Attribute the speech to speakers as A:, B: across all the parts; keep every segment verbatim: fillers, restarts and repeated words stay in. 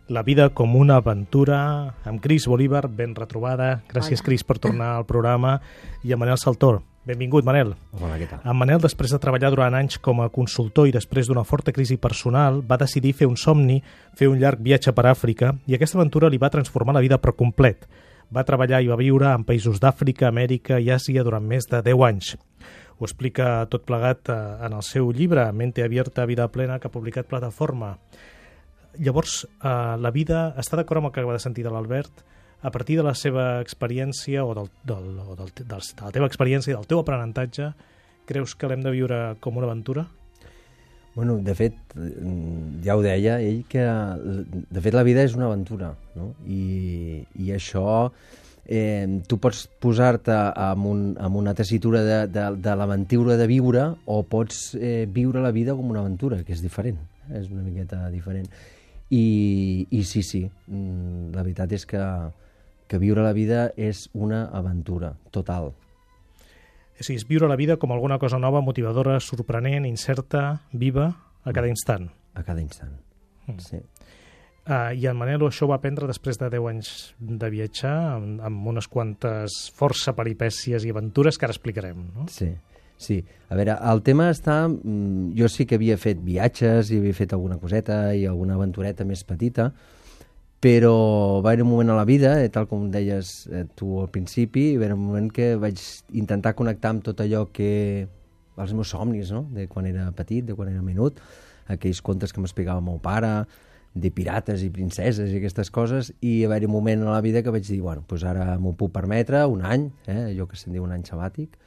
A: La vida com una aventura, amb Cris Bolívar, ben retrobada. Gràcies, Cris, per tornar al programa. I amb Manel Saltor. Benvingut, Manel.
B: Hola, què tal?
A: En Manel, després de treballar durant anys com a consultor i després d'una forta crisi personal, va decidir fer un somni, fer un llarg viatge per Àfrica, i aquesta aventura li va transformar la vida per complet. Va treballar i va viure en països d'Àfrica, Amèrica i Àsia durant més de deu anys. Ho explica tot plegat en el seu llibre, Mente Abierta, Vida Plena, que ha publicat Plataforma. Llavors, eh, la vida, està d'acord amb el que acaba de sentir de l'Albert, a partir de la seva experiència o, del, del, o del, del, de la teva experiència i del teu aprenentatge, creus que l'hem de viure com una aventura?
B: Bueno, de fet, ja ho deia ell, que de fet la vida és una aventura, no? I, i això, eh, tu pots posar-te en, un, en una tessitura de, de, de l'aventura de viure o pots eh, viure la vida com una aventura, que és diferent, és una miqueta diferent. I, i sí, sí, la veritat és que, que viure la vida és una aventura total.
A: És a dir, és viure la vida com alguna cosa nova, motivadora, sorprenent, incerta, viva, a cada instant.
B: A cada instant, mm. sí.
A: Uh, I en Manel això ho va aprendre després de deu anys de viatjar, amb, amb unes quantes força peripècies i aventures que ara explicarem, no?
B: Sí. Sí, a veure, el tema està... Jo sí que havia fet viatges i havia fet alguna coseta i alguna aventureta més petita, però va haver un moment a la vida, eh, tal com deies eh, tu al principi, va haver un moment que vaig intentar connectar amb tot allò que... els meus somnis, no?, de quan era petit, de quan era menut, aquells contes que m'explicava el meu pare, de pirates i princeses i aquestes coses, i va haver un moment a la vida que vaig dir, bueno, doncs ara m'ho puc permetre, un any, eh, allò que se'n diu un any sabàtic,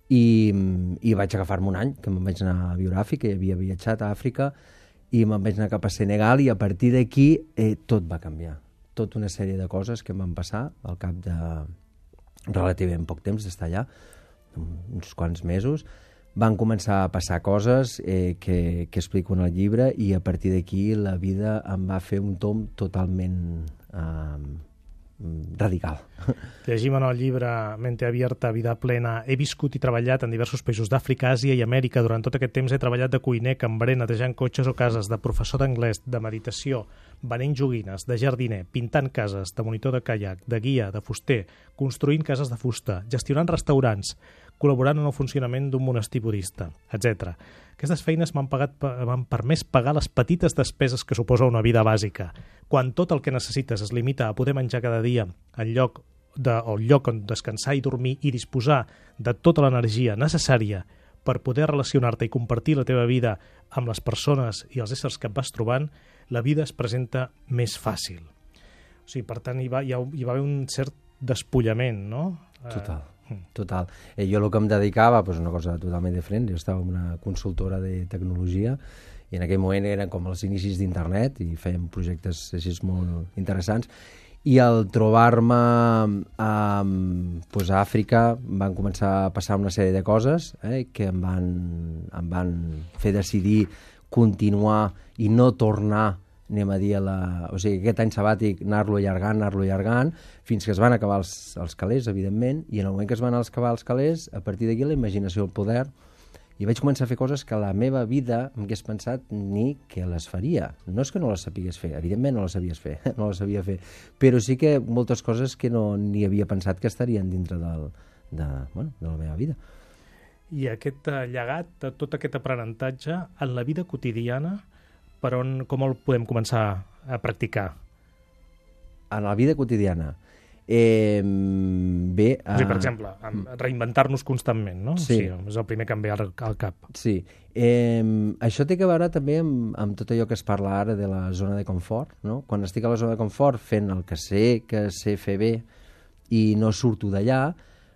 B: I, i vaig agafar-me un any, que me'n vaig anar a viure a Àfrica, i havia viatjat a Àfrica, i me'n vaig anar cap a Senegal, i a partir d'aquí eh, tot va canviar. Tota una sèrie de coses que em van passar al cap de relativament poc temps d'estar allà, uns quants mesos, van començar a passar coses eh, que, que explico en el llibre, i a partir d'aquí la vida em va fer un tomb totalment... Eh, radical.
A: Llegim en el llibre Mente Abierta, Vida Plena. He viscut i treballat en diversos països d'Àfrica, Àsia i Amèrica. Durant tot aquest temps he treballat de cuiner, cambrer, netejant cotxes o cases, de professor d'anglès, de meditació, venent joguines, de jardiner, pintant cases, de monitor de caiac, de guia, de fuster, construint cases de fusta, gestionant restaurants, col·laborant en el funcionament d'un monestir budista, etcètera. Aquestes feines m'han pagat, m'han permès pagar les petites despeses que suposa una vida bàsica. Quan tot el que necessites es limita a poder menjar cada dia en lloc de, o lloc on descansar i dormir i disposar de tota l'energia necessària per poder relacionar-te i compartir la teva vida amb les persones i els éssers que et vas trobant, la vida es presenta més fàcil. O sigui, per tant, hi va, hi ha, hi va haver un cert despullament, no?
B: Total. Total. Eh, jo el que em dedicava, pues, una cosa totalment diferent, jo estava en una consultora de tecnologia i en aquell moment eren com els inicis d'internet i fèiem projectes així molt interessants, i al trobar-me a, pues, a Àfrica van començar a passar una sèrie de coses eh, que em van, em van fer decidir continuar i no tornar, anem a dir, a la... o sigui, aquest any sabàtic anar-lo allargant, anar-lo allargant, fins que es van acabar els, els calés, evidentment, i en el moment que es van acabar els calés, a partir d'aquí la imaginació, el poder, i vaig començar a fer coses que la meva vida m'hagués pensat ni que les faria. No és que no les sapigués fer, evidentment no les sabies fer, no les sabia fer, però sí que moltes coses que no ni havia pensat que estarien dintre del, de, bueno, de la meva vida.
A: I aquest llegat, tot aquest aprenentatge, en la vida quotidiana, per on, com el podem començar a practicar?
B: En la vida quotidiana? Eh, bé...
A: Uh... O sigui, per exemple, reinventar-nos constantment, no?
B: Sí.
A: Sí, és el primer que em ve al, al cap.
B: Sí. Eh, això té a veure també amb, amb tot allò que es parla ara de la zona de confort, no? Quan estic a la zona de confort fent el que sé, que sé fer bé i no surto d'allà,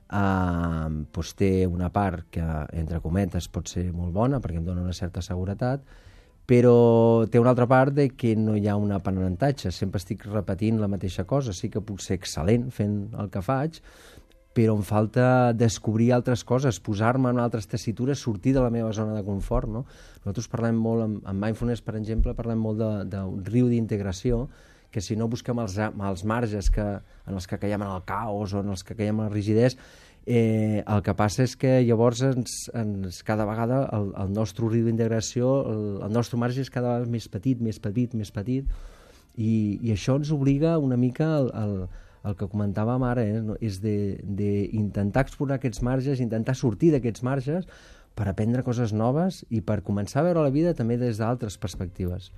B: eh, doncs té una part que, entre cometes, pot ser molt bona perquè em dona una certa seguretat, però té una altra part de que no hi ha un aprenentatge, sempre estic repetint la mateixa cosa, sí que puc ser excel·lent fent el que faig, però em falta descobrir altres coses, posar-me en altres tessitures, sortir de la meva zona de confort, no? Nosaltres parlem molt, amb, amb Mindfulness, per exemple, parlem molt d'un riu d'integració, que si no busquem els, els marges que, en els que caiem en el caos o en els que caiem en la rigidesa, eh, el que passa és que llavors ens, ens, cada vegada el, el nostre riu d'integració, el, el nostre marge és cada vegada més petit, més petit, més petit, I, i això ens obliga una mica al, al, al que comentàvem ara, eh? No? És d'intentar explorar aquests marges, intentar sortir d'aquests marges per aprendre coses noves i per començar a veure la vida també des d'altres perspectives.